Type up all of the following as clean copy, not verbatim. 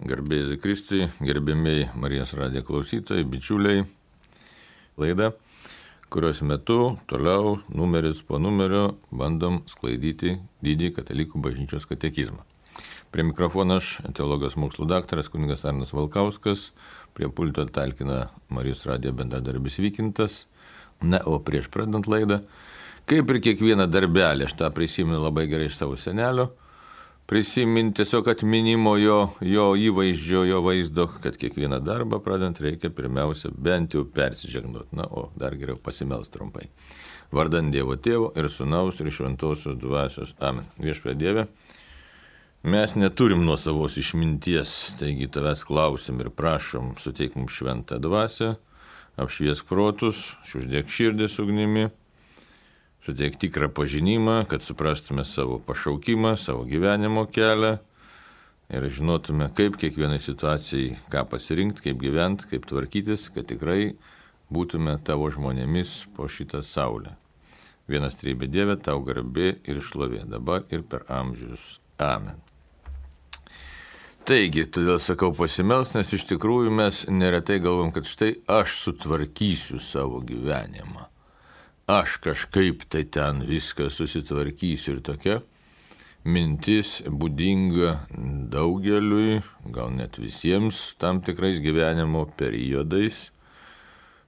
Garbėsiu Kristui, gerbėmiai Marijos radijo klausytojai, bičiuliai, laida, kurios metu toliau numeris po numerio bandom sklaidyti didį katalikų bažnyčios katekizmą. Prie mikrofono aš, teologijos mokslų daktaras kunigas Arnas Valkauskas, prie pulto talkina Marijos radijo bendradarbis Vykintas. Na, o prieš pradant laidą, kaip ir kiekvieną darbelį, aš tą prisimenu labai gerai iš savo senelio, prisiminti tiesiog atminimo jo įvaizdžio, jo vaizdo, kad kiekvieną darbą pradant reikia pirmiausia bent jau persižegnot. Na, o dar geriau pasimelst trumpai. Vardant Dievo Tėvo ir Sūnaus ir Šventosios Dvasios. Amen. Viešpatie Dieve, mes neturim nuosavos išminties, taigi tavęs klausim ir prašom, suteik mums šventą dvasią, apšviesk protus, uždėk širdis ugnimi, suteik tikrą pažinimą, kad suprastume savo pašaukimą, savo gyvenimo kelią ir žinotume, kaip kiekvienai situacijai, ką pasirinkti, kaip gyventi, kaip tvarkytis, kad tikrai būtume tavo žmonėmis po šitą saulę. Vienas trybė Dieve, tau garbė ir šlovė dabar ir per amžius. Amen. Taigi, todėl sakau pasimels, nes iš tikrųjų mes neretai galvom, kad štai aš sutvarkysiu savo gyvenimą. Aš kažkaip tai ten viską susitvarkysiu ir tokia mintis būdinga daugeliui, gal net visiems tam tikrais gyvenimo periodais.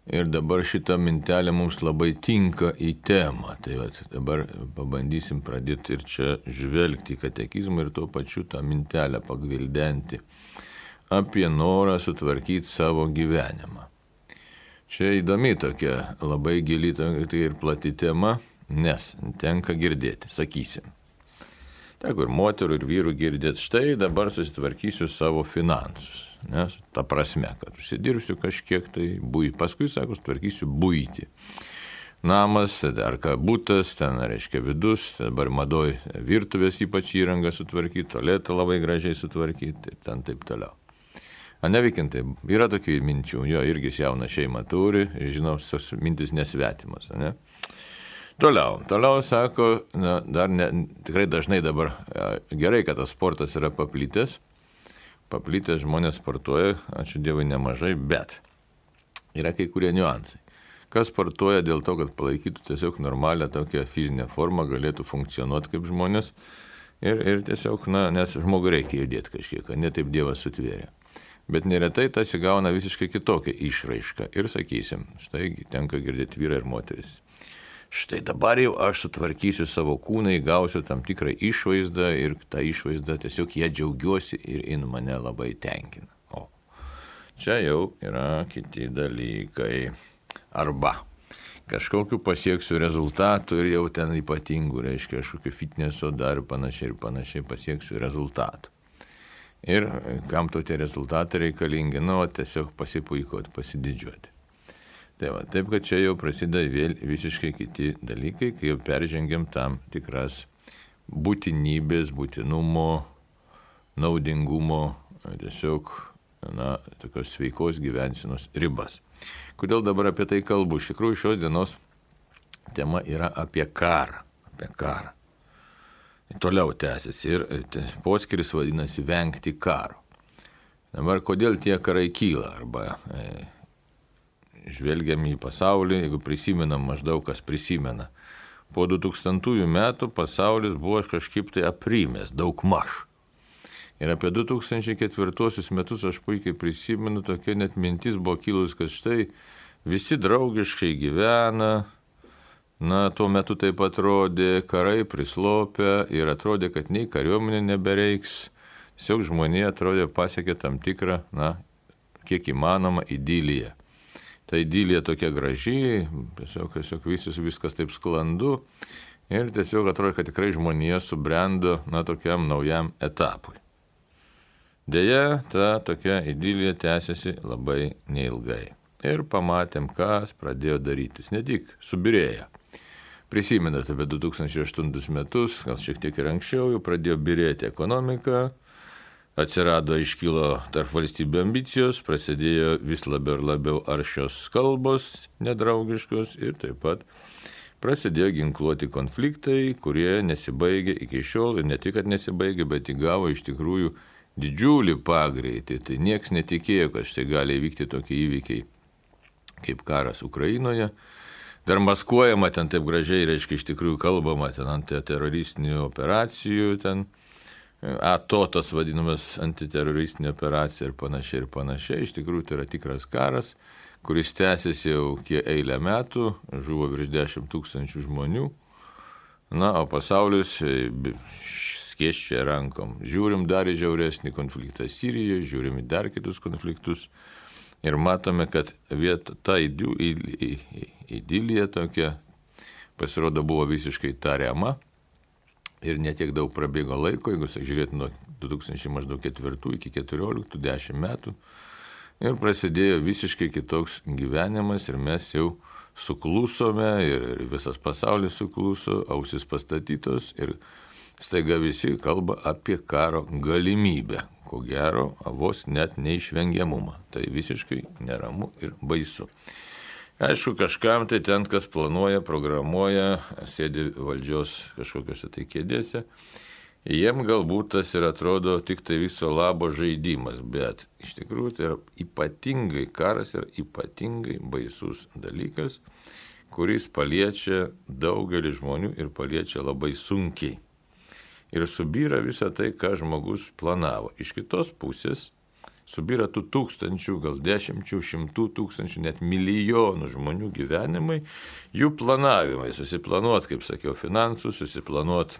Ir dabar šita mintelė mums labai tinka į temą. Tai dabar pabandysim pradėti ir čia žvelgti į katekizmą ir tuo pačiu tą mintelę pagvildenti apie norą sutvarkyti savo gyvenimą. Čia įdomi tokia labai gili tai ir plati tema, nes tenka girdėti, sakysim. Teko ir moterų, ir vyrų girdėti, štai dabar susitvarkysiu savo finansus. Nes ta prasme, kad užsidirbsiu kažkiek tai paskui, sako, sutvarkysiu buitį. Namas, ar ką būtas, ten reiškia vidus, dabar madoj virtuvės ypač įrangą sutvarkyti, tualetą labai gražiai sutvarkyti ir ten taip toliau. Nevykintai, yra tokių minčių, jo irgi jauną šeimą turi, žinau, mintis nesvetimas, ne? Toliau sako, tikrai dažnai dabar gerai, kad tas sportas yra paplitęs žmonės sportuoja, ačiū Dievui nemažai, bet yra kai kurie niuansai. Kas sportuoja dėl to, kad palaikytų tiesiog normalią tokią fizinę formą, galėtų funkcionuoti kaip žmonės ir tiesiog, nes žmogui reikia judėti kažkiek, ne taip Dievas sutvėrė. Bet neretai tas įgauna visiškai kitokią išraišką ir sakysim, štai tenka girdėti vyrai ir moteris. Štai dabar jau aš sutvarkysiu savo kūną, įgausiu tam tikrą išvaizdą ir tą išvaizdą tiesiog ją džiaugiuosi ir jin mane labai tenkina. O čia jau yra kiti dalykai. Arba kažkokiu pasieksiu rezultatų ir jau ten ypatingų, reiškia kažkokiu fitneso dar ir panašiai pasieksiu rezultatų. Ir kam to tie rezultatai reikalingi, tiesiog pasipuikuoti, pasididžiuoti. Taip, kad čia jau prasideda vėl visiškai kiti dalykai, kai jau peržengiam tam tikras būtinybės, būtinumo, naudingumo, tiesiog, tokios sveikos gyvensenos ribas. Kodėl dabar apie tai kalbu? Iš tikrųjų, šios dienos tema yra apie karą. Toliau tęsiasi ir poskiris vadinasi vengti karo. Dabar kodėl tie karai kyla? Arba žvelgiam į pasaulį, jeigu prisimenam, maždaug kas prisimena. Po 2000 metų pasaulis buvo kažkaip tai aprimęs, daugmaž. Ir apie 2004 metus aš puikiai prisimenu, tokia net mintis buvo kilus, kad štai visi draugiškai gyvena. Tuo metu taip atrodė, karai prislopę ir atrodė, kad nei kariuomenė nebereiks. Tiesiog žmonija atrodė pasiekė tam tikrą, kiek įmanoma idiliją. Ta idilija tokia graži, tiesiog viskas taip sklandu ir tiesiog atrodo, kad tikrai žmonija subrendo tokiam naujam etapui. Deja, ta tokia idilija tęsiasi labai neilgai. Ir pamatėm, kas pradėjo darytis, ne tik subyrėję. Prisimenate apie 2008 metus, gal šiek tiek ir anksčiau, jau pradėjo byrėti ekonomika, iškilo tarp valstybių ambicijos, prasidėjo vis labiau ir labiau aršios kalbos nedraugiškos ir taip pat prasidėjo ginkluoti konfliktai, kurie nesibaigė iki šiol ir ne tik, kad nesibaigė, bet įgavo iš tikrųjų didžiulį pagreitį, tai nieks netikėjo, kad štai gali įvykti tokie įvykiai kaip karas Ukrainoje. Dar maskuojama ten taip gražiai, reiškia, iš tikrųjų kalbama ten antiteroristinių operacijų, ten ATO tas vadinamas antiteroristinė operacija ir panašiai. Iš tikrųjų tai yra tikras karas, kuris tęsiasi jau eilę metų, žuvo virš 10 000 žmonių. Na, o pasaulis skėsčia rankom. Žiūrim dar į žiauresnį konfliktą Sirijoje, žiūrim į dar kitus konfliktus. Ir matome, kad ta idilija tokia pasirodo buvo visiškai tariama ir netiek daug prabėgo laiko, jeigu žiūrėtume nuo 2004 iki 2014, 10 metų. Ir prasidėjo visiškai kitoks gyvenimas ir mes jau suklusome ir visas pasaulis sukluso, ausis pastatytos ir staiga visi kalba apie karo galimybę. Ko gero, vos net neišvengiamumą. Tai visiškai neramu ir baisu. Aišku, kažkam tai ten, kas planuoja, programuoja, sėdi valdžios kažkokiuose tai kėdėse, jiem galbūt tas ir atrodo tik tai viso labo žaidimas, bet iš tikrųjų tai yra ypatingai karas ir ypatingai baisus dalykas, kuris paliečia daugelį žmonių ir paliečia labai sunkiai. Ir subyra visą tai, ką žmogus planavo. Iš kitos pusės subyra tų tūkstančių, gal 10, 100 tūkstančių, net milijonų žmonių gyvenimai, jų planavimai, susiplanuot, kaip sakiau, finansus, susiplanuot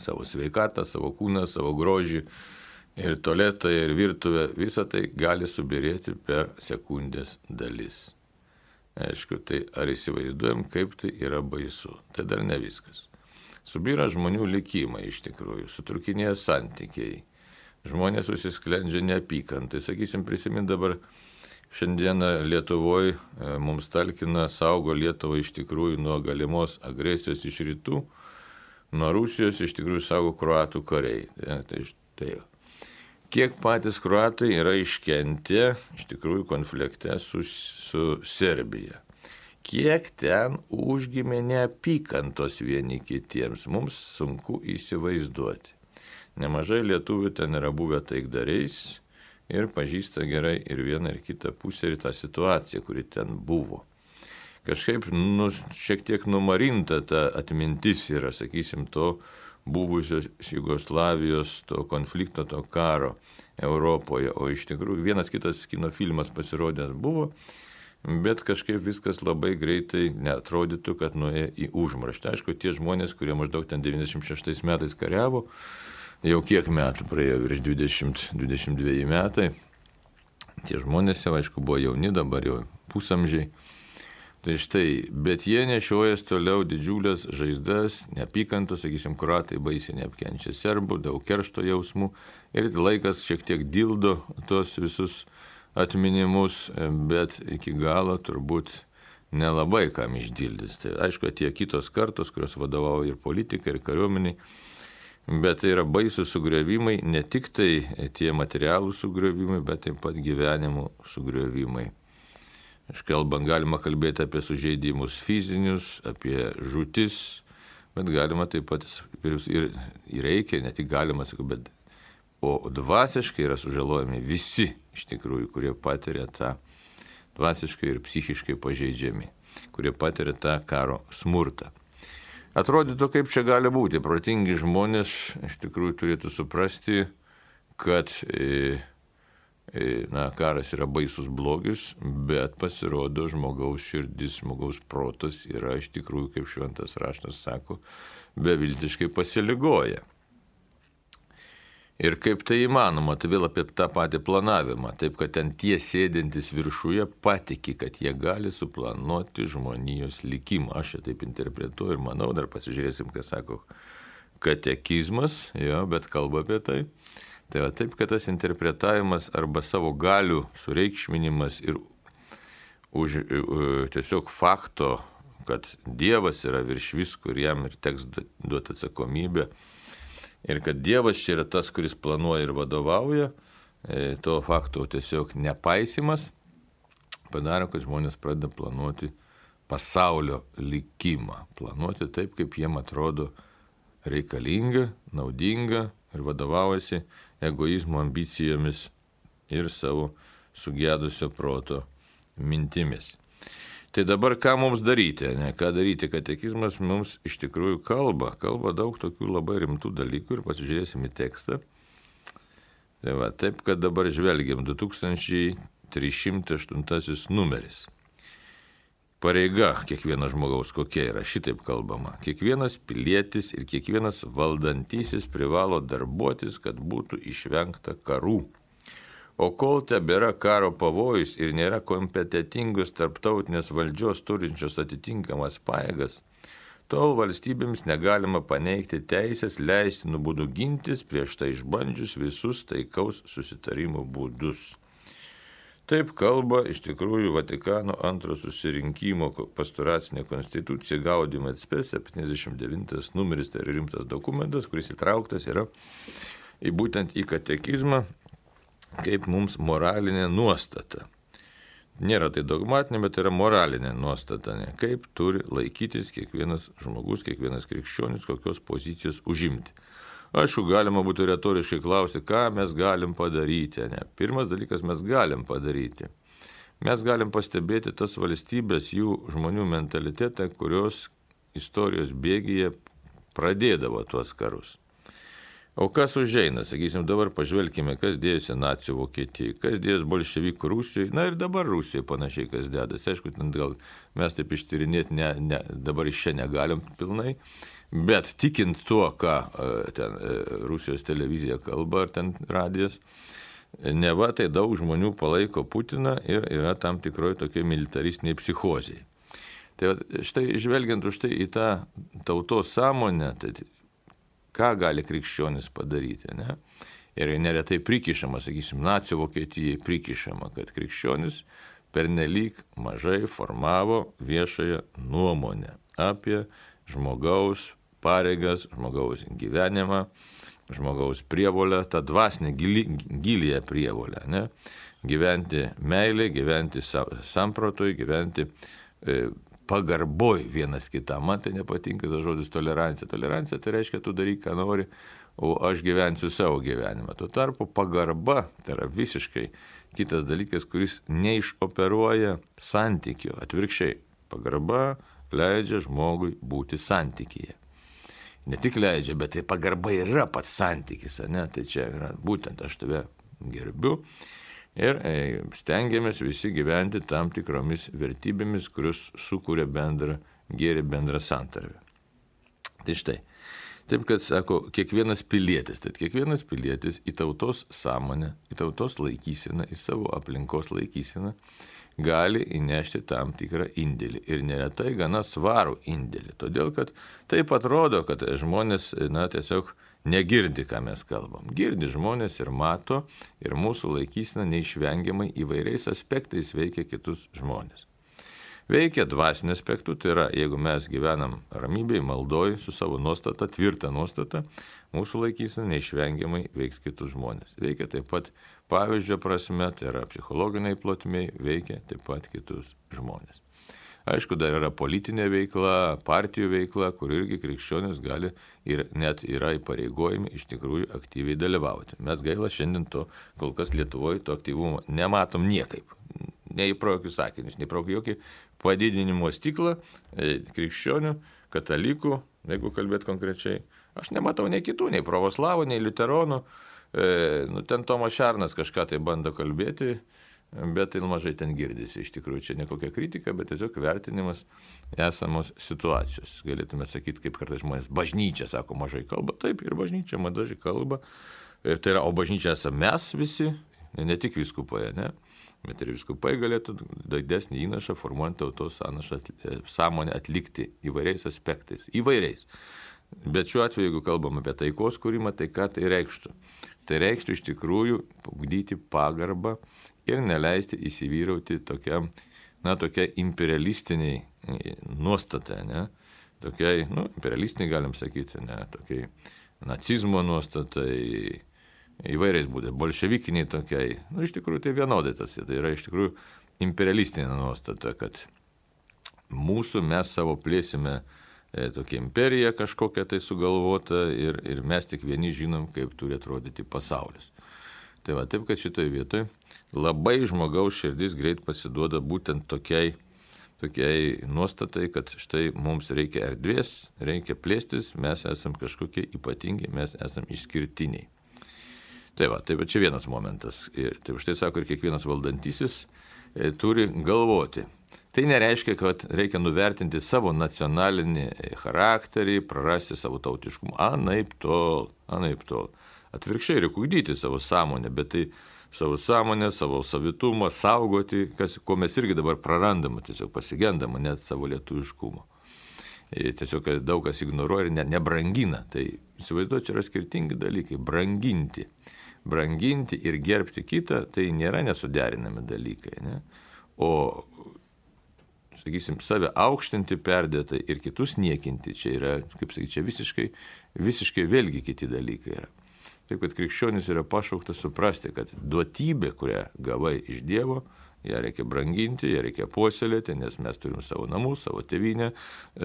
savo sveikatą, savo kūną, savo grožį ir tualetą, ir virtuvę, visą tai gali subirėti per sekundės dalis. Aišku, tai ar įsivaizduojam, kaip tai yra baisu. Tai dar ne viskas. Subyra žmonių likimai iš tikrųjų, sutrūkinėja santykiai, žmonės susisklendžia neapykantai. Sakysim, prisimint dabar šiandieną Lietuvoje mums talkina, saugo Lietuvą iš tikrųjų nuo galimos agresijos iš rytų, nuo Rusijos iš tikrųjų saugo kroatų kariai. Tai kiek patys kroatai yra iškentę iš tikrųjų konflikte su Serbija. Kiek ten užgimė neapykantos vieni kitiems, mums sunku įsivaizduoti. Nemažai lietuvių ten yra buvę taikdariais ir pažįsta gerai ir vieną ir kitą pusę ir tą situaciją, kuri ten buvo. Kažkaip šiek tiek numarinta ta atmintis yra, sakysim, to buvusios Jugoslavijos, to konflikto, to karo Europoje. O iš tikrųjų vienas kitas kino filmas pasirodęs buvo, bet kažkaip viskas labai greitai neatrodytų, kad nuėjo į užmarštį. Aišku, tie žmonės, kurie maždaug ten 96 metais kariavo, jau kiek metų praėjo, virš 20-22 metai, tie žmonės jau, aišku, buvo jauni, dabar jau pusamžiai. Tai štai, bet jie nešiojas toliau didžiulės žaizdas, neapykantos, sakysim, kroatai baisiai neapkenčia serbų, daug keršto jausmų ir laikas šiek tiek dildo tos visus atminimus, bet iki galo turbūt nelabai kam išdildys. Tai aišku, tie kitos kartos, kurios vadovauja ir politikai, ir kariuomeniai, bet tai yra baisūs sugriovimai, ne tik tai tie materialų sugriovimai, bet taip pat gyvenimų sugriovimai. Galima kalbėti apie sužeidimus fizinius, apie žūtis, bet galima taip pat ir reikia, ne tik galima, bet o dvasiškai yra sužalojami visi iš tikrųjų, kurie patiria tą dvasiškai ir psichiškai pažeidžiami, kurie patiria tą karo smurtą. Atrodytų, kaip čia gali būti. Protingi žmonės iš tikrųjų turėtų suprasti, kad karas yra baisus blogis, bet pasirodo žmogaus širdis, žmogaus protas yra iš tikrųjų, kaip šventas raštas sako, beviltiškai pasiligoja. Ir kaip tai įmanoma, tai vėl apie tą patį planavimą, taip kad ten tie sėdintys viršuje patiki, kad jie gali suplanuoti žmonijos likimą. Aš čia taip interpretuoju ir manau, dar pasižiūrėsim, ką sako katekizmas, bet kalba apie tai. Tai va taip, kad tas interpretavimas arba savo galių sureikšminimas ir tiesiog fakto, kad Dievas yra virš visko ir jam ir teks duoti atsakomybę, ir kad Dievas čia yra tas, kuris planuoja ir vadovauja, to fakto tiesiog nepaisimas padaro, kad žmonės pradeda planuoti pasaulio likimą. Planuoti taip, kaip jiem atrodo reikalinga, naudinga ir vadovaujasi egoizmo ambicijomis ir savo sugedusio proto mintimis. Tai dabar ką mums daryti, ne? Ką daryti? Katekizmas mums iš tikrųjų kalba daug tokių labai rimtų dalykų ir pasižiūrėsim į tekstą. Tai va, taip, kad dabar žvelgiam 2308 numeris. Pareiga kiekvieno žmogaus kokia yra, šitaip kalbama. Kiekvienas pilietis ir kiekvienas valdantysis privalo darbuotis, kad būtų išvengta karų. O kol tebėra karo pavojus ir nėra kompetitingos tarptautinės valdžios turinčios atitinkamas pajėgas, tol valstybėms negalima paneigti teisės leistinų būdų gintis prieš tai išbandžius visus taikaus susitarimo būdus. Taip kalba iš tikrųjų Vatikano antro susirinkimo pastoracinė konstitucija Gaudium et Spes 79 numeris, tai yra rimtas dokumentas, kuris įtrauktas yra būtent į katekizmą kaip mums moralinė nuostata. Nėra tai dogmatinė, bet yra moralinė nuostata, ne? Kaip turi laikytis kiekvienas žmogus, kiekvienas krikščionis, kokios pozicijos užimti. Aišku, galima būtų retoriškai klausti, ką mes galim padaryti. Ne? Pirmas dalykas, mes galim padaryti. Mes galim pastebėti tas valstybės, jų žmonių mentalitetą, kurios istorijos bėgyje pradėdavo tuos karus. O kas užeina, sakysim, dabar pažvelkime, kas dėjosi nacių Vokietijai, kas dėjosi bolševikų Rusijoje, na ir dabar Rusijoje panašiai kas dėdasi. Aišku, ten gal mes taip ištyrinėti dabar iš čia negalim pilnai, bet tikint tuo, ką ten Rusijos televizija kalba ar ten radijas, neva tai daug žmonių palaiko Putiną ir yra tam tikroji tokia militaristiniai psichozijai. Tai štai žvelgiant už tai į tą tautos sąmonę, tai ką gali krikščionis padaryti, ne? Ir neretai prikišama, sakysim, nacių Vokietijai prikišama, kad krikščionis pernelyg mažai formavo viešąją nuomonę apie žmogaus pareigas, žmogaus gyvenimą, žmogaus prievolę, tą dvasinę giliją prievolę, ne? Gyventi meilė, gyventi samprotoj, gyventi pagarboj vienas kitam. Man tai nepatinka tas žodis tolerancija. Tolerancija tai reiškia, tu daryk, ką nori, o aš gyvensiu savo gyvenimą. Tuo tarpu pagarba tai yra visiškai kitas dalykas, kuris neišoperuoja santykių. Atvirkščiai, pagarba leidžia žmogui būti santykyje. Ne tik leidžia, bet tai pagarba yra pats santykis, ne? Tai čia yra būtent aš tave gerbiu. Ir stengiamės visi gyventi tam tikromis vertybėmis, kurios sukuria bendrą gėrį, bendrą santarvę. Tai štai, taip kad sako, kiekvienas pilietis į tautos sąmonę, į tautos laikyseną, į savo aplinkos laikyseną gali įnešti tam tikrą indėlį. Ir neretai gana svarų indėlį. Todėl, kad taip atrodo, kad žmonės tiesiog negirdi, ką mes kalbam. Girdi žmonės ir mato, ir mūsų laikysena neišvengiamai įvairiais aspektais veikia kitus žmonės. Veikia dvasiniu aspektu, tai yra, jeigu mes gyvenam ramybėje, maldoj, su savo nuostata, tvirta nuostata, mūsų laikysena neišvengiamai veiks kitus žmonės. Veikia taip pat pavyzdžio prasme, tai yra psichologiniai plotmiai, veikia taip pat kitus žmonės. Aišku, dar yra politinė veikla, partijų veikla, kur irgi krikščionis gali ir net yra įpareigojami iš tikrųjų aktyviai dalyvauti. Mes gaila šiandien to, kol kas Lietuvoje to aktyvumo nematom niekaip. Nei pro jokius sakinius, nei pro jokį padidinimo stiklą krikščionių, katalikų, jeigu kalbėt konkrečiai. Aš nematau nei kitų, nei pravoslavų, nei liuteronų. Ten Tomas Šernas kažką tai bando kalbėti, bet tai mažai ten girdisi. Iš tikrųjų, čia ne kokia kritika, bet tiesiog vertinimas esamos situacijos. Galėtume sakyti, kaip kartais žmonės bažnyčia, sako, mažai kalba. Taip, ir bažnyčia mažai kalba. Ir tai yra, o bažnyčia esame mes visi, ne tik vyskupai, ne? Bet ir vyskupai galėtų didesnį įnašą formuojant tautos sąmonę atlikti įvairiais aspektais. Įvairiais. Bet šiuo atveju, jeigu kalbam apie taikos kūrimą, tai ką tai reikštų? Tai reikštų iš tikrųjų ugdyti pagarbą ir neleisti įsivyrauti tokiai imperialistiniai nuostatai, ne? Tokiai, imperialistiniai galim sakyti, ne? Tokiai nacizmo nuostatai, įvairiais būdais, bolševikiniai tokiai, iš tikrųjų tai vienodai tas, tai yra iš tikrųjų imperialistinė nuostata, kad mes savo plėsime tokia imperija kažkokia tai sugalvota ir mes tik vieni žinom, kaip turi atrodyti pasaulis. Tai va, taip, kad šitoje vietoje labai žmogaus širdis greit pasiduoda būtent tokiai nuostatai, kad štai mums reikia erdvės, reikia plėstis, mes esam kažkokie ypatingi, mes esam išskirtiniai. Tai va čia vienas momentas. Ir tai už tai sako ir kiekvienas valdantysis turi galvoti. Tai nereiškia, kad reikia nuvertinti savo nacionalinį charakterį, prarasti savo tautiškumą. Anaiptol. Atvirkščiai reikia ugdyti savo sąmonę, bet tai savo sąmonę, savo savitumą, saugoti, ko mes irgi dabar prarandama, tiesiog pasigendama net savo lietuviškumo. Tiesiog daug kas ignoruoja ir nebrangina. Tai įsivaizduoju, čia yra skirtingi dalykai. Branginti ir gerbti kitą, tai nėra nesuderinami dalykai. Ne? O, sakysim, save aukštinti perdėtai ir kitus niekinti, čia yra, kaip sakyti, čia visiškai vėlgi kiti dalykai yra. Taip, kad krikščionis yra pašauktas suprasti, kad duotybė, kurią gavai iš Dievo, ją reikia branginti, ją reikia puoselėti, nes mes turim savo namus, savo tėvynę,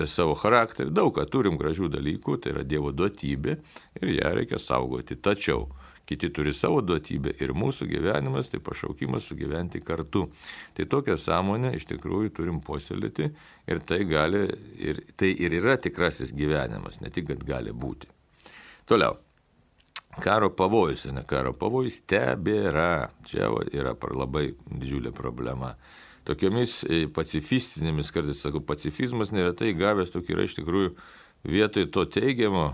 savo charakterį, daug ką turim gražių dalykų, tai yra Dievo duotybė ir ją reikia saugoti. Tačiau kiti turi savo duotybę ir mūsų gyvenimas, tai pašaukimas sugyventi kartu. Tai tokią sąmonę iš tikrųjų turim puoselėti ir tai yra tikrasis gyvenimas, ne tik, kad gali būti. Toliau. Karo pavojus, ne karo pavojus tebėra. Čia yra labai didžiulė problema. Tokiomis pacifistinėmis, kartais sakau, pacifizmas neretai gavęs tokį yra iš tikrųjų vietoj to teigiamo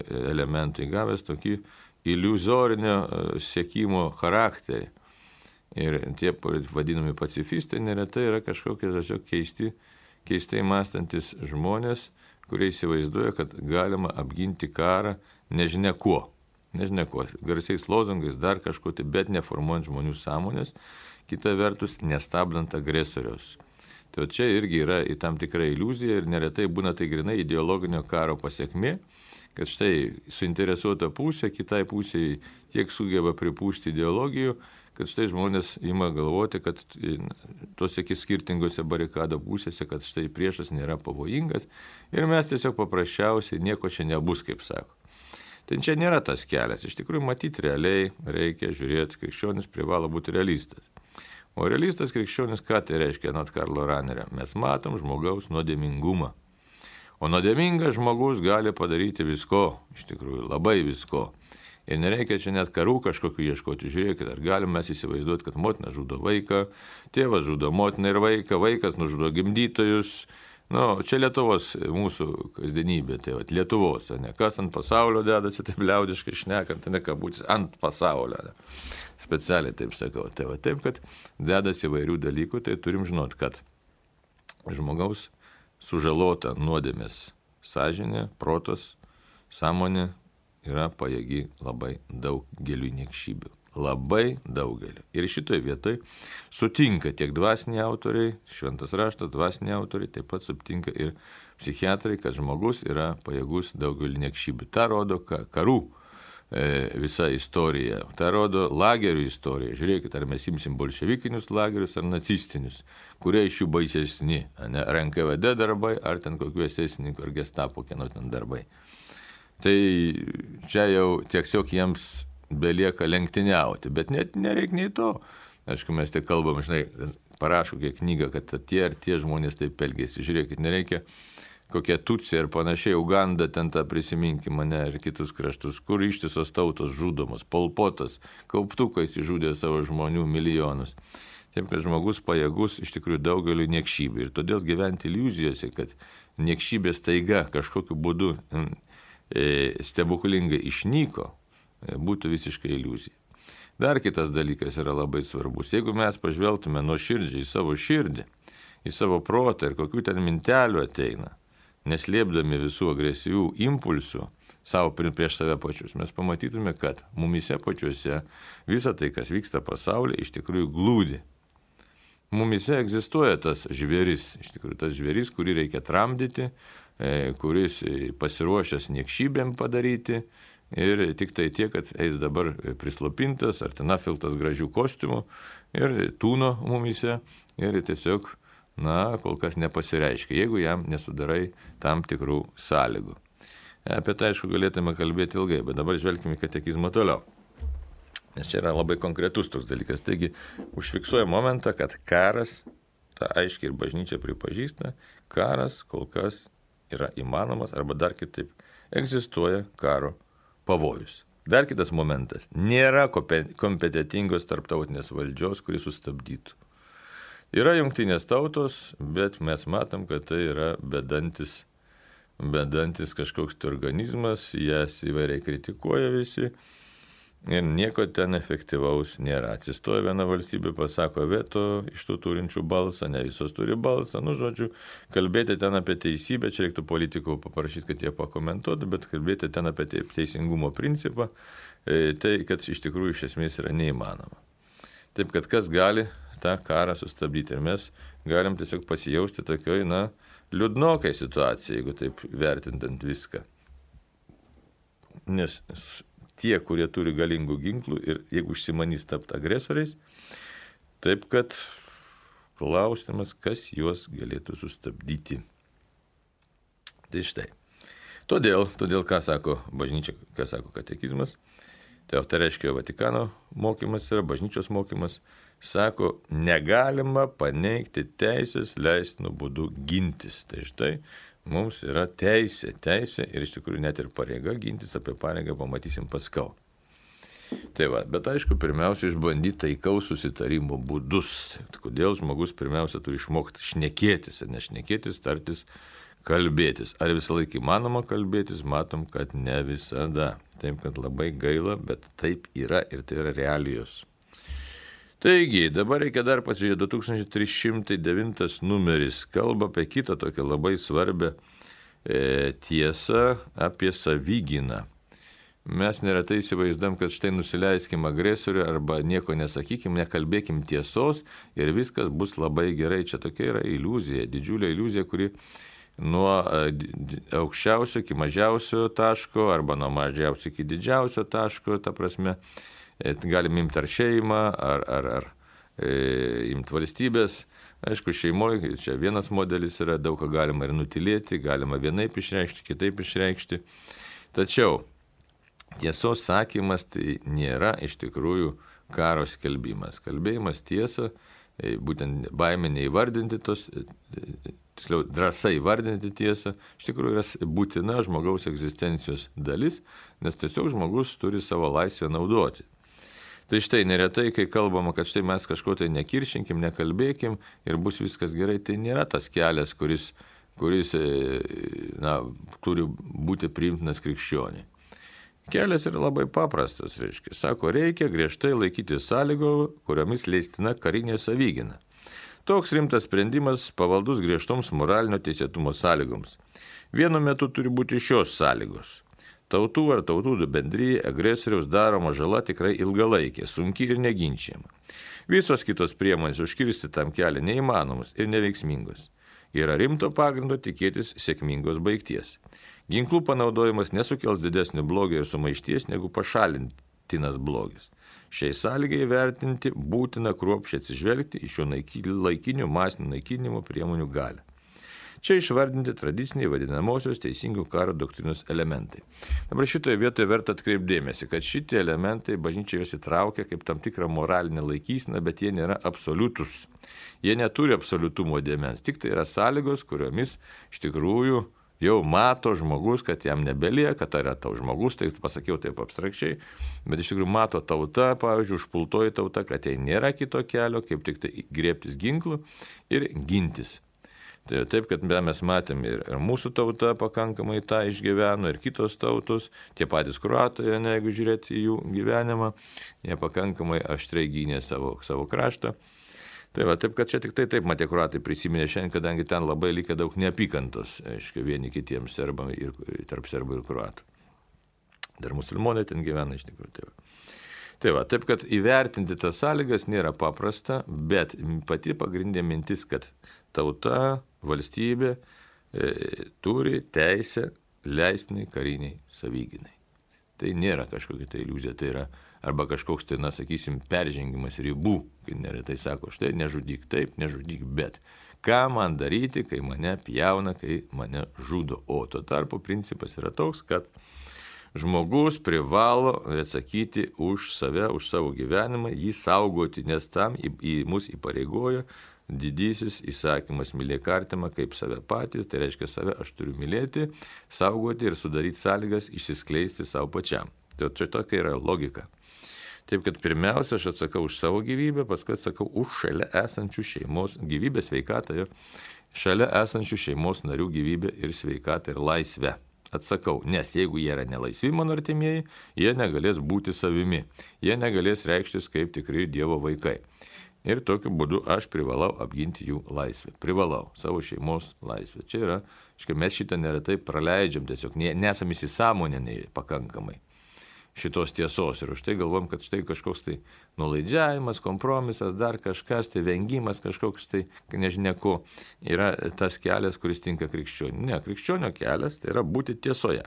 elemento įgavęs tokį iliuzorinio siekimo charakterį. Ir tie vadinami pacifistai neretai yra kažkokie tiesiog keistai mąstantis žmonės, kurie įsivaizduoja, kad galima apginti karą nežinia kuo, garsiais lozungais, dar kažko, bet neformuojant žmonių sąmonės, kita vertus nestabdant agresoriaus. Tai čia irgi yra į tam tikrą iliuziją ir neretai būna tai grinai ideologinio karo pasiekmė, kad štai suinteresuota pusė, kitai pusėje tiek sugeba pripūsti ideologijų, kad štai žmonės ima galvoti, kad tose skirtingose barikado pusėse, kad štai priešas nėra pavojingas ir mes tiesiog paprasčiausiai nieko čia nebus, kaip sako. Tai čia nėra tas kelias. Iš tikrųjų, matyti realiai reikia žiūrėti, krikščionis privalo būti realistas. O realistas krikščionis, ką tai reiškia, anot Karlo Ranerio? Mes matom žmogaus nuodėmingumą. O nuodėmingas žmogus gali padaryti visko, iš tikrųjų, labai visko. Ir nereikia čia net karų kažkokiu ieškoti. Žiūrėkit, ar galim mes įsivaizduoti, kad motina žudo vaiką, tėvas žudo motiną ir vaiką, vaikas nužudo gimdytojus. Čia Lietuvos mūsų kasdienybė, tai Lietuvos, ne kas ant pasaulio dedasi, taip liaudiškai šnekant, ne kabūtis, ant pasaulio. Specialiai taip sakau. Tai taip, kad dedasi įvairių dalykų, tai turim žinot, kad žmogaus sužalota nuodėmės sąžinė, protas, sąmonė yra pajėgi labai daugeliu niekšybių. Labai daugelį. Ir šitoje vietoje sutinka tiek dvasiniai autoriai, šventas raštas, dvasiniai autoriai, taip pat sutinka ir psichiatrai, kad žmogus yra pajėgus daugelį niekšybių. Ta rodo karų visa istorija, ta rodo lagerių istorija. Žiūrėkit, ar mes imsim bolševikinius lagerius ar nacistinius, kurie iš jų baisesni, ar NKVD darbai, ar ten kokių esesininkų, ar gestapo kieno ten darbai. Tai čia jau tiesiog jiems belieka lenktyniauti, bet net nereikia nei to. Aišku, mes tik kalbam, parašo kiek knygą, kad tie ar tie žmonės taip elgėsi. Žiūrėkit, nereikia kokie Tutsiai ir panašiai, Uganda, ten tą prisiminkim mane ir kitus kraštus, kur ištisos tautos žudomos, Pol Potas, kauptukais įžudė savo žmonių milijonus. Taip, kad žmogus pajėgus iš tikrųjų daugeliu niekšybių. Ir todėl gyventi iliuzijose, kad niekšybės taiga kažkokiu būdu stebuklingai išnyko, būtų visiškai iliuzija. Dar kitas dalykas yra labai svarbus. Jeigu mes pažvelgtume nuoširdžiai į savo širdį, į savo protą ir kokių ten mintelių ateina, neslėpdami visų agresyvių impulsų savo prieš save pačius, mes pamatytume, kad mumise pačiuose visa tai, kas vyksta pasaulyje, iš tikrųjų glūdi. Mumise egzistuoja tas žvėris, iš tikrųjų tas žvėris, kurį reikia tramdyti, kuris pasiruošęs niekšybėm padaryti, ir tik tai tiek, kad eis dabar prislopintas ar ten apvilktas gražių kostiumų ir tūno mumise ir tiesiog, kol kas nepasireiškia, jeigu jam nesudarai tam tikrų sąlygų. Apie tai, aišku, galėtume kalbėti ilgai, bet dabar žvelgime į katekizmą toliau. Nes čia yra labai konkretus toks dalykas. Taigi užfiksuoja momentą, kad karas, tą aiškiai ir bažnyčia pripažįsta, karas kol kas yra įmanomas arba dar kitaip egzistuoja karo pavojus. Dar kitas momentas. Nėra kompetitingos tarptautinės valdžios, kuri sustabdytų. Yra jungtinės tautos, bet mes matom, kad tai yra bedantis kažkoks organizmas, jas įvairiai kritikuoja visi ir nieko ten efektyvaus nėra. Atsistoja viena valstybė, pasako veto iš tų turinčių balsą, ne visos turi balsą, žodžiu, kalbėti ten apie teisybę, čia reiktų politikų paprašyti, kad jie pakomentuotų, bet kalbėti ten apie teisingumo principą, tai kad iš tikrųjų iš esmės yra neįmanoma. Taip, kad kas gali tą karą sustabdyti ir mes galim tiesiog pasijausti tokioj, liūdnokai situacijai, jeigu taip vertintant viską. Nes tie, kurie turi galingų ginklų ir jeigu užsimanys tapti agresoriais, taip kad klausimas, kas juos galėtų sustabdyti. Tai štai. Todėl ką sako bažnyčia, ką sako katekizmas, tai reiškia Vatikano mokymas yra, bažnyčios mokymas, sako, negalima paneigti teisės leistinų būdų gintis. Tai štai mums yra teisė ir iš tikrųjų net ir pareiga gintis, apie pareigą pamatysim paskau. Tai bet aišku, pirmiausia, išbandyti taikaus susitarimo būdus. Kodėl žmogus pirmiausia turi išmokti šnekėtis, ir nešnekėtis, tartis, kalbėtis. Ar visą laiką įmanoma kalbėtis, matom, kad ne visada. Taip, kad labai gaila, bet taip yra ir tai yra realijos. Taigi, dabar reikia dar pasižiūrėti, 2309 numeris kalba apie kitą tokią labai svarbią tiesą apie savigyną. Mes neretai įsivaizduojam, kad štai nusileiskim agresoriui arba nieko nesakykim, nekalbėkim tiesos ir viskas bus labai gerai. Čia tokia yra iliuzija, didžiulė iliuzija, kuri nuo aukščiausio iki mažiausio taško arba nuo mažiausio iki didžiausio taško, ta prasme, galim imti ar šeimą, ar imti valstybės. Aišku, šeimoje čia vienas modelis yra, daug ką galima ir nutilėti, galima vienaip išreikšti, kitaip išreikšti. Tačiau tiesos sakymas tai nėra iš tikrųjų karo skelbimas. Kalbėjimas tiesą, būtent baimė neįvardinti tos, tiksliau drąsa įvardinti tiesą, iš tikrųjų yra būtina žmogaus egzistencijos dalis, nes tiesiog žmogus turi savo laisvę naudoti. Tai štai neretai, kai kalbama, kad štai mes kažko tai nekiršinkim, nekalbėkim ir bus viskas gerai, tai nėra tas kelias, kuris turi būti priimtinas krikščioniui. Kelias yra labai paprastas, reiškia. Sako, reikia griežtai laikyti sąlygų, kuriomis leistina karinė savigyna. Toks rimtas sprendimas pavaldus griežtoms moralinio teisėtumo sąlygoms. Vienu metu turi būti šios sąlygos. Tautų ar tautų bendryje agresoriaus daroma žala tikrai ilgalaikė, sunki ir neginčiama. Visos kitos priemonės užkirsti tam kelią neįmanomos ir neveiksmingos. Yra rimto pagrindo tikėtis sėkmingos baigties. Ginklų panaudojimas nesukels didesnio blogio ir sumaišties negu pašalintinas blogis. Šiai sąlygai vertinti būtina kruopščiai atsižvelgti į šio laikinių masinių naikinimo priemonių galią. Čia išvardinti tradiciniai vadinamosios teisingų karo doktrinos elementai. Dabar šitoje vietoje verta atkreipdėmėsi, kad šitie elementai bažnyčia juos įtraukia kaip tam tikrą moralinę laikyseną, bet jie nėra absoliutus. Jie neturi absoliutumo dėmens, tik tai yra sąlygos, kuriomis iš tikrųjų jau mato žmogus, kad jam nebelieka, kad yra tau žmogus, tai pasakiau taip abstrakčiai, bet iš tikrųjų mato tauta, pavyzdžiui, užpultoji tauta, kad jai nėra kito kelio, kaip tik tai griebtis ginklų ir gintis. Taip, kad mes matėm ir mūsų tauta pakankamai tą išgyveno, ir kitos tautos, tie patys kroatai, jeigu žiūrėti į jų gyvenimą, jie pakankamai aštriai gynė savo kraštą. Taip, kad čia tik taip matė kroatai prisiminė šiandien, kadangi ten labai likę daug neapykantos, aiškiai, vieni kitiems serbam ir tarp serbų ir kroatų. Dar musulmonai ten gyvena iš tikrųjų. Taip, kad įvertinti tas sąlygas nėra paprasta, bet pati pagrindinė mintis, kad tauta, valstybė turi teisę leistinai kariniai savigynai. Tai nėra kažkokia tai iliuzija, tai yra arba kažkoks tai, sakysim, peržengimas ribų, kai neretai sako, štai nežudyk taip, nežudyk bet. Ką man daryti, kai mane pjauna, kai mane žudo? O tuo tarpu principas yra toks, kad Žmogus privalo atsakyti už save, už savo gyvenimą, jį saugoti, nes tam mus įpareigoja didysis įsakymas mylėk artimą kaip save patys, tai reiškia save aš turiu mylėti, saugoti ir sudaryti sąlygas išsiskleisti savo pačiam. Tai čia tokia yra logika. Taip, kad pirmiausia aš atsakau už savo gyvybę, paskui atsakau už šalia esančių šeimos gyvybę, sveikatą, šalia esančių šeimos narių gyvybę ir sveikatą ir laisvę. Atsakau, nes jeigu jie yra nelaisvi mano artimieji, jie negalės būti savimi, jie negalės reikštis kaip tikri Dievo vaikai. Ir tokiu būdu aš privalau apginti jų laisvę. Privalau savo šeimos laisvę. Čia yra, mes šitą neretai praleidžiam, tiesiog nesam įsisąmoninę pakankamai šitos tiesos. Ir už tai galvom, kad štai kažkoks tai nulaidžiavimas, kompromisas, dar kažkas, tai vengimas kažkoks tai, nežinia ko, yra tas kelias, kuris tinka krikščioniui. Ne, krikščionio kelias tai yra būti tiesoje.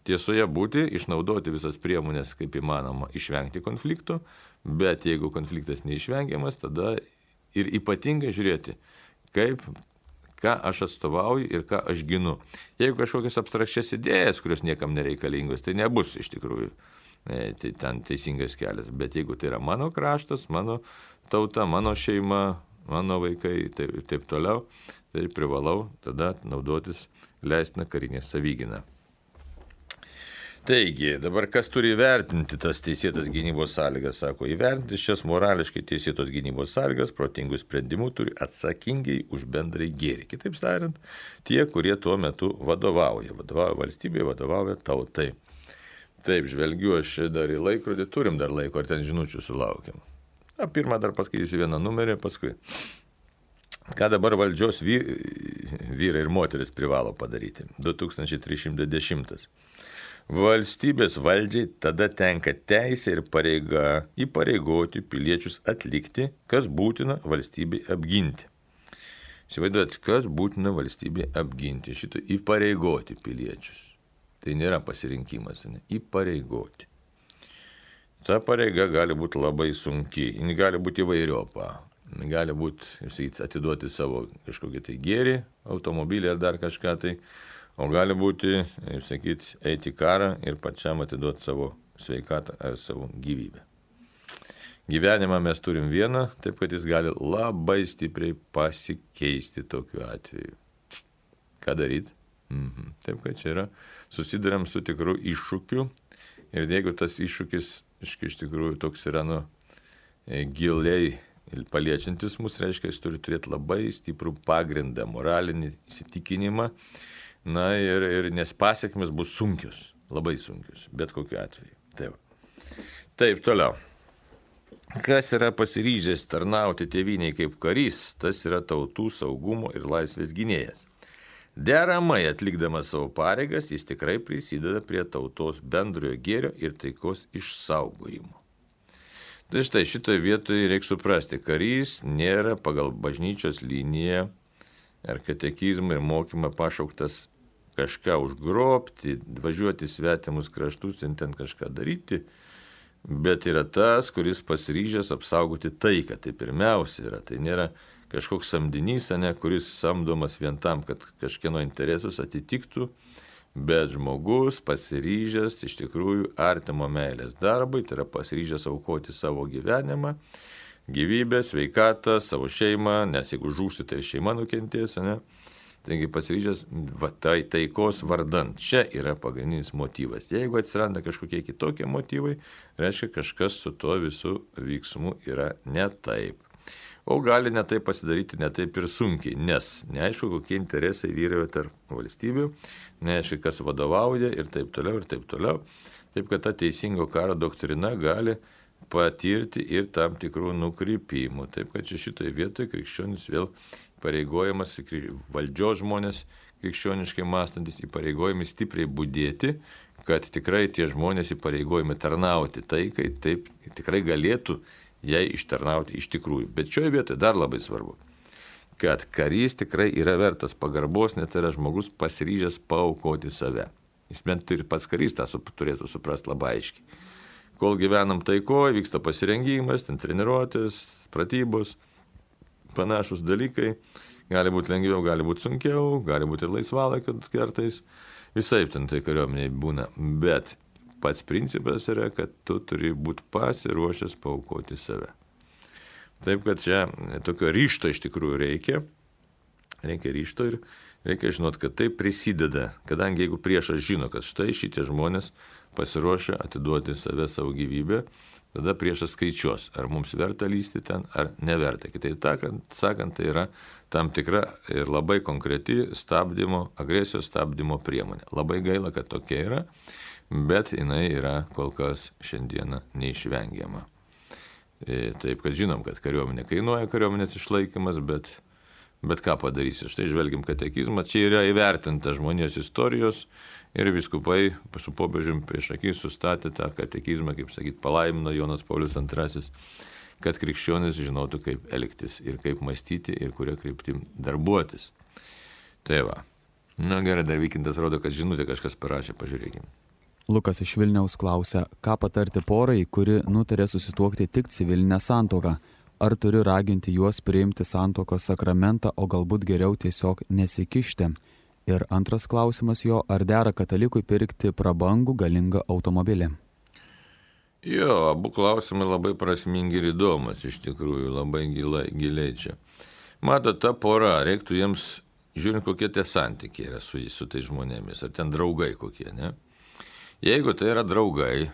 Tiesoje būti, išnaudoti visas priemonės, kaip įmanoma, išvengti konfliktų, bet jeigu konfliktas neišvengiamas, tada ir ypatingai žiūrėti, ką aš atstovauju ir ką aš ginu. Jeigu kažkokias abstrakčias idėjas, kurios niekam nereikalingos, tai nebus iš tikrųjų tai ten teisingas kelias. Bet jeigu tai yra mano kraštas, mano tauta, mano šeima, mano vaikai ir taip toliau, tai privalau tada naudotis leistiną karinę savigyną. Taigi, dabar kas turi įvertinti tas teisėtas gynybos sąlygas, sako, įvertinti šias morališkai teisėtos gynybos sąlygas, protingų sprendimų turi atsakingai už bendrai gėrį. Kitaip tariant, tie, kurie tuo metu vadovauja valstybėje, vadovauja tautai. Taip, žvelgiu aš dar į laikrodį, turim dar laiko, ar ten žinučių sulaukiam. Pirmą dar paskaitysiu vieną numerį, paskui. Ką dabar valdžios vyrai ir moteris privalo padaryti? 2310. Valstybės valdžiai tada tenka teisė ir pareiga įpareigoti piliečius atlikti, kas būtina valstybei apginti. Įsivaizduojat, kas būtina valstybei apginti, šitą įpareigoti piliečius. Tai nėra pasirinkimas, ne? Įpareigoti. Ta pareiga gali būti labai sunki, ji gali būti įvairiopa. Gali būti, atiduoti savo kažkokį tai gėrį, automobilį ar dar kažką tai. O gali būti, eiti į karą ir pačiam atiduoti savo sveikatą ar savo gyvybę. Gyvenimą mes turim vieną, taip kad jis gali labai stipriai pasikeisti tokiu atveju. Ką daryti? Taip kad čia yra, susiduriam su tikru iššūkiu ir jeigu tas iššūkis iš tikrųjų toks yra giliai paliečiantis mus, reiškia, jis turi turėti labai stiprų pagrindą, moralinį įsitikinimą. Ir nes pasiekmes bus sunkios, labai sunkios, bet kokiu atveju. Taip, toliau. Kas yra pasiryžęs tarnauti tėvynei kaip karys, tas yra tautų saugumo ir laisvės gynėjas. Deramai atlikdamas savo pareigas, jis tikrai prisideda prie tautos bendrojo gėrio ir taikos išsaugojimo. Tai štai šitoje vietoje reikia suprasti, karys nėra pagal bažnyčios liniją ar katekizmą ir mokymą pašauktas kažką užgrobti, važiuoti svetimus kraštus ir ten kažką daryti, bet yra tas, kuris pasiryžęs apsaugoti taiką. Tai pirmiausia yra, tai nėra kažkoks samdinys, kuris samdomas vien tam, kad kažkieno interesus atitiktų, bet žmogus pasiryžęs iš tikrųjų artimo meilės darbui, tai yra pasiryžęs aukoti savo gyvenimą, gyvybę, sveikatą, savo šeimą, nes jeigu žūsi, tai šeima nukentės, Taigi pasiryžęs taikos vardan. Čia yra pagrindinis motyvas. Jeigu atsiranda kažkokie kitokie motyvai, reiškia kažkas su tuo visų veiksmu yra ne taip. O gali ne taip pasidaryti, ne taip ir sunkiai, nes neaišku, kokie interesai vyrauja tarp valstybių, neaišku, kas vadovauja ir taip toliau, ir taip toliau. Taip, kad ta teisingo karo doktrina gali patirti ir tam tikrų nukrypimų. Taip, kad čia šitoje vietoje krikščionis vėl pareigojamas, valdžios žmonės krikščioniškai mąstantis įpareigojami stipriai budėti, kad tikrai tie žmonės įpareigojami tarnauti taikai, taip tikrai galėtų jai ištarnauti iš tikrųjų. Bet šioje vietoje dar labai svarbu, kad karys tikrai yra vertas pagarbos, net yra žmogus pasiryžęs paaukoti save. Jis bent ir pats karys tą turėtų suprasti labai aiškiai. Kol gyvenam taikoje, vyksta pasirengimas, ten treniruotės, pratybos, panašus dalykai, gali būti lengviau, gali būti sunkiau, gali būti ir laisvalaikio kartais, visai ten tai kariuomeniai būna, bet pats principas yra, kad tu turi būti pasiruošęs paaukoti save. Taip, kad čia tokio ryžto iš tikrųjų reikia ryžto ir reikia žinot, kad tai prisideda, kadangi jeigu priešas žino, kad štai šitie žmonės pasiruošę atiduoti save, savo gyvybę, tada priešas skaičiuos, ar mums verta lysti ten, ar neverta. Kitaip sakant, tai yra tam tikra ir labai konkreti agresijos stabdymo priemonė. Labai gaila, kad tokia yra, bet jinai yra kol kas šiandieną neišvengiama. Taip, kad žinom, kad kariuomenė kainuoja kariuomenės išlaikymas, bet ką padarysi. Štai žvelgiam katekizmą, čia yra įvertinta žmonijos istorijos ir vyskupai su popiežiumi prieš akį sustatė tą katekizmą, kaip sakyt, palaimino Jonas Paulius II, kad krikščionis žinotų, kaip elgtis ir kaip mąstyti ir kuria kryptim darbuotis. Tai va. Na gerai, dar Vykintas rodo, kad žinutė kažkas parašė, pažiūrėkime. Lukas iš Vilniaus klausia, ką patarti porai, kuri nutarė susituokti tik civilinę santuoką. Ar turiu raginti juos priimti santuokos sakramentą, o galbūt geriau tiesiog nesikišti? Ir antras klausimas jo, ar dera katalikui pirkti prabangų galingą automobilį? Jo, abu klausimai labai prasmingi ir įdomus, iš tikrųjų, labai giliai čia. Matot, ta pora, reiktų jiems, žiūrint, kokie tie santykiai yra su tai žmonėmis, ar ten draugai kokie, ne? Jeigu tai yra draugai,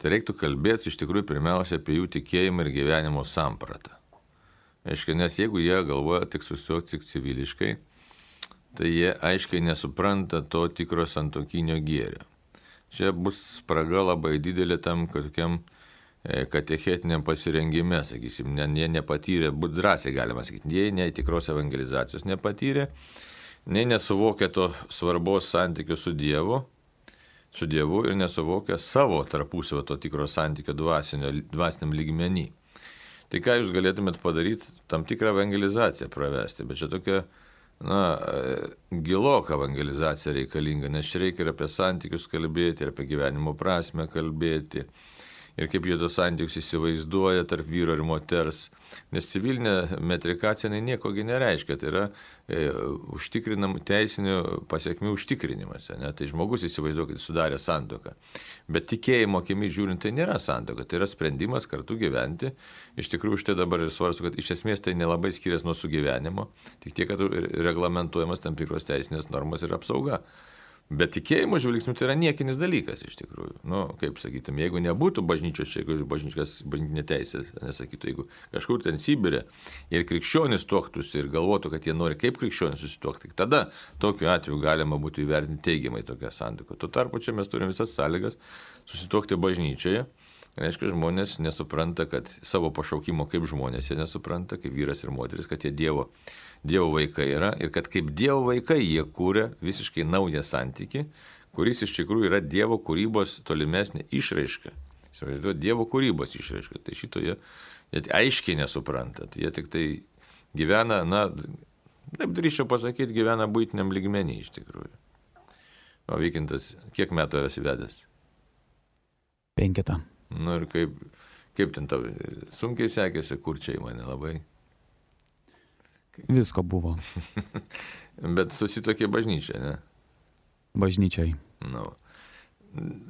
tai reiktų kalbėti iš tikrųjų pirmiausia apie jų tikėjimą ir gyvenimo sampratą. Aiškiai, nes jeigu jie galvoja tik susituokti tik civiliškai, tai jie aiškiai nesupranta to tikro santuokinio gėrio. Čia bus spraga labai didelė tam tokiam katechetiniam pasirengime, sakysim, jie nepatyrė, būt drąsiai galima sakyti, jie nei tikros evangelizacijos nepatyrė, nei nesuvokia to svarbos santykių su Dievu ir nesuvokia savo tarpusavio to tikro santykio dvasiniam lygmenį. Tai ką jūs galėtumėt padaryti, tam tikrą evangelizaciją pravesti, bet čia tokia, giloka evangelizacija reikalinga, nes čia reikia ir apie santykius kalbėti, ir apie gyvenimo prasmę kalbėti, ir kaip jie tos santykius įsivaizduoja tarp vyro ir moters, nes civilinė metrikacija niekogi nereiškia, tai yra užtikrinam teisinių pasiekmių užtikrinimas, ne? Tai žmogus įsivaizduoja, kad sudarė santuoką, bet tikėjimo akimis žiūrint tai nėra santuoka, tai yra sprendimas kartu gyventi, iš tikrųjų štai dabar ir svarstu, kad iš esmės tai nelabai skiriasi nuo sugyvenimo, tik tiek, kad reglamentuojamas tam tikros teisinės normos ir apsauga. Bet tikėjimo žvilgsnių tai yra niekinis dalykas iš tikrųjų. Kaip sakytum, jeigu nebūtų bažnyčios, jeigu bažnytinė teisė, nesakytų, jeigu kažkur ten Sibire ir krikščionis tuoktųsi ir galvotų, kad jie nori kaip krikščionis susituokti, tada tokiu atveju galima būtų įvertinti teigiamai tokią santuoką. Tuo tarpu čia mes turime visas sąlygas susituokti bažnyčioje. Reiškia, žmonės nesupranta, kad savo pašaukimo kaip žmonės jie nesupranta, kaip vyras ir moteris, kad jie Dievo vaikai yra ir kad kaip Dievo vaikai jie kūrė visiškai naują santykį, kuris iš tikrųjų yra Dievo kūrybos tolimesnė išraiška. Įsivaizduoju, Dievo kūrybos išraiška. Tai šito jie aiškiai nesupranta. Jie tik tai gyvena, taip drįsčiau pasakyti, gyvena buitiniam lygmenį iš tikrųjų. O Vykintas, kiek metų esi vedęs? 5. Ir kaip ten tau sunkiai sekėsi, kurčiai mane labai. Visko buvo. Bet susitokė bažnyčia, ne? Bažnyčiai.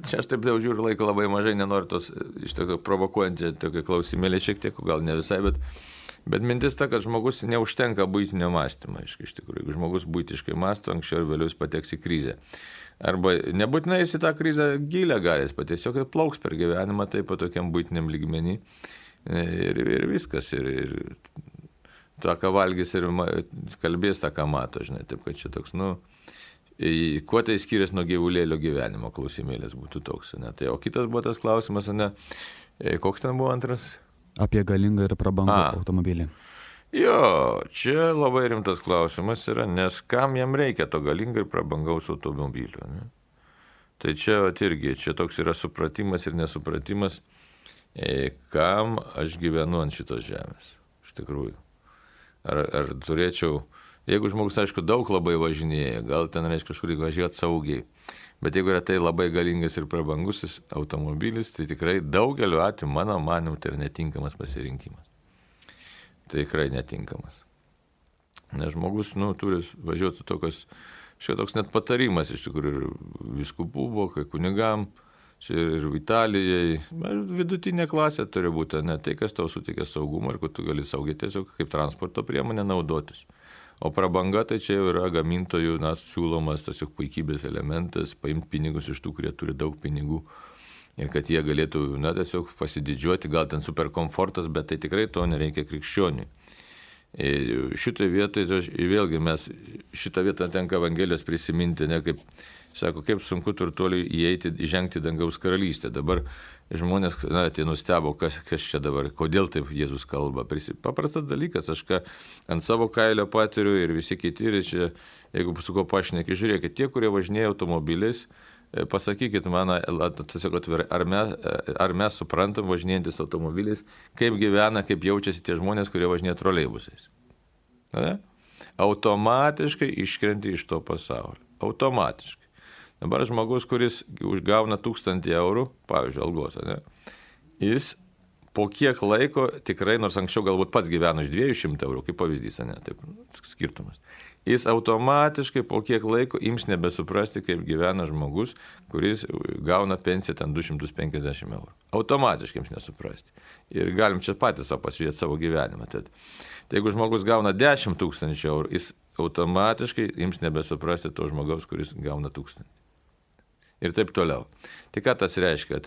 Čia aš taip jau žiūriu, laiko labai mažai, nenoriu tos iš tokio provokuojantį tokio klausimėlį šiek tiek, gal ne visai, bet mintis ta, kad žmogus neužtenka buitinio mąstymo, iš tikrųjų. Jeigu žmogus buitiškai mąsto, anksčiau ir vėliau jis pateks į krizę. Arba nebūtinai jis į tą krizę gilę galės, tiesiog plauks per gyvenimą taip pat tokiam buitiniam lygmenį ir viskas. Ir tą, ką valgys ir kalbės, tą, ką mato, žinai, taip kad čia toks, kuo tai skiriasi nuo gyvulėlio gyvenimo, klausimėlės būtų toks, ne? Tai, o kitas buvo tas klausimas, ne? Koks ten buvo antras? Apie galingą ir prabangų automobilį. Jo, čia labai rimtas klausimas yra, nes kam jam reikia to galingo ir prabangaus automobilio, ne? Tai čia irgi, čia toks yra supratimas ir nesupratimas, kam aš gyvenu ant šitos žemės, iš tikrųjų. Ar turėčiau, jeigu žmogus, aišku, daug labai važinėja, gal ten reiškia kažkur važiuoti saugiai, bet jeigu yra tai labai galingas ir prabangusis automobilis, tai tikrai daugeliu atveju, mano manimu, tai yra netinkamas pasirinkimas. Tai tikrai netinkamas. Nes žmogus, turi važiuoti tokios, toks net patarimas iš tikrųjų vyskupų buvo, kai kunigam, Ir Italijai, vidutinė klasė turi būti, ne tai, kas tau suteikia saugumą ir kad tu gali saugiai tiesiog kaip transporto priemonė naudotis. O prabanga tai čia jau yra gamintojų siūlomas tiesiog puikybės elementas, paimti pinigus iš tų, kurie turi daug pinigų ir kad jie galėtų tiesiog pasididžiuoti, gal ten super komfortas, bet tai tikrai to nereikia krikščioniui. Šitoje vietoje, vėlgi mes šitą vietą tenka Evangelijos prisiminti, ne kaip, sako, kaip sunku turtuoliui įžengti dangaus karalystę. Dabar žmonės, tai nustebo, kas čia dabar, kodėl taip Jėzus kalba. Paprastas dalykas, aš ką ant savo kailio patiriu ir visi kiti, ir čia, jeigu su ko pašneki, žiūrėkit, tie, kurie važinėja automobiliais, pasakykit man, tiesiog atvirai, ar mes suprantam važinėjantis automobiliais, kaip gyvena, kaip jaučiasi tie žmonės, kurie važinėja troleibusais. Automatiškai iškrenti iš to pasaulio. Automatiškai. Dabar žmogus, kuris užgauna 1000 eurų, pavyzdžiui, algos, jis po kiek laiko tikrai, nors anksčiau galbūt pats gyveno iš 200 eurų, kaip pavyzdys, taip, skirtumas. Jis automatiškai po kiek laiko ims nebesuprasti, kaip gyvena žmogus, kuris gauna pensiją ten 250 eurų. Automatiškai ims nesuprasti. Ir galim čia patys pasižiūrėti savo gyvenimą. Tai jeigu žmogus gauna 10 000 eurų, jis automatiškai ims nebesuprasti to žmogaus, kuris gauna 1000. Ir taip toliau. Tai ką tas reiškia?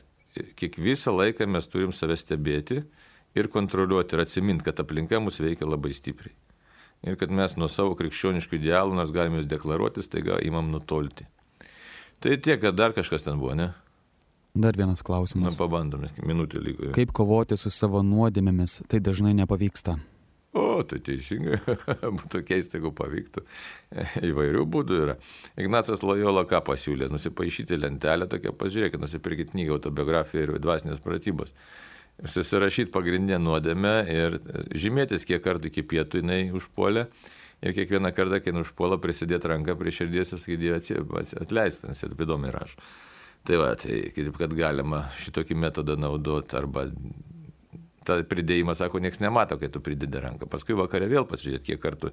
Kiek visą laiką mes turim save stebėti ir kontroliuoti ir atsiminti, kad aplinka mus veikia labai stipriai. Ir kad mes nuo savo krikščioniškų idealų, nors galime jūs deklaruoti, staiga imam nutolti. Tai tiek, kad dar kažkas ten buvo, ne? Dar vienas klausimas. Pabandome, minutė liko. Kaip kovoti su savo nuodėmėmis, tai dažnai nepavyksta. O, tai teisingai, būtų keista, jeigu pavyktų. Įvairių būdų yra. Ignacas Lojola ką pasiūlė? Nusipaišyti lentelę tokią, pažiūrėkit, nusipirkit knygą autobiografiją ir dvasinės pratybos. Susirašyti pagrindinę nuodėmę ir žymėtis, kiek kartų iki pietų jinai užpuolė. Ir kiekvieną kartą, kai užpuola, prisidėti ranką prie širdies ir sakyti, atleisti, nes ir įdomiai rašo. Tai va, tai kaip kad galima šitokį metodą naudoti, arba tą pridėjimą, sako, nieks nemato, kai tu pridedi ranką. Paskui vakare vėl pasižiūrėti, kiek kartų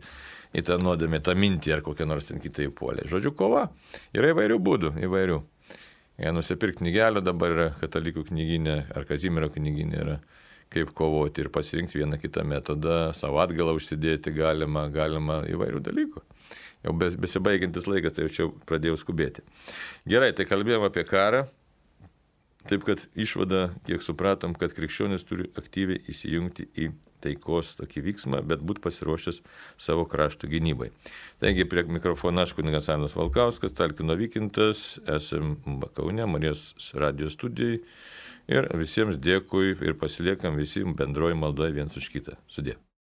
į tą nuodėmę, tą mintį ar kokią nors ten kitą įpuolė. Žodžiu, kova. Yra įvairių būdų, įvairių. Nusipirkti knygelio dabar yra katalikų knyginė ar Kazimiero knyginė yra, kaip kovoti ir pasirinkti vieną kitą metodą, savo atgalą užsidėti galima įvairių dalykų. Jau besibaigiantis laikas, tai jau čia pradėjau skubėti. Gerai, tai kalbėjom apie karą. Taip, kad išvada, kiek supratom, kad krikščionis turi aktyviai įsijungti į taikos tokį vyksmą, bet būti pasiruošęs savo krašto gynybai. Taigi, prie mikrofono aš kunigas Arnas Valkauskas, Talkino Vykintas, esam Kaune, Marijos radijos studijai ir visiems dėkui ir pasiliekam visi bendroji maldoje viens už kitą. Sudie.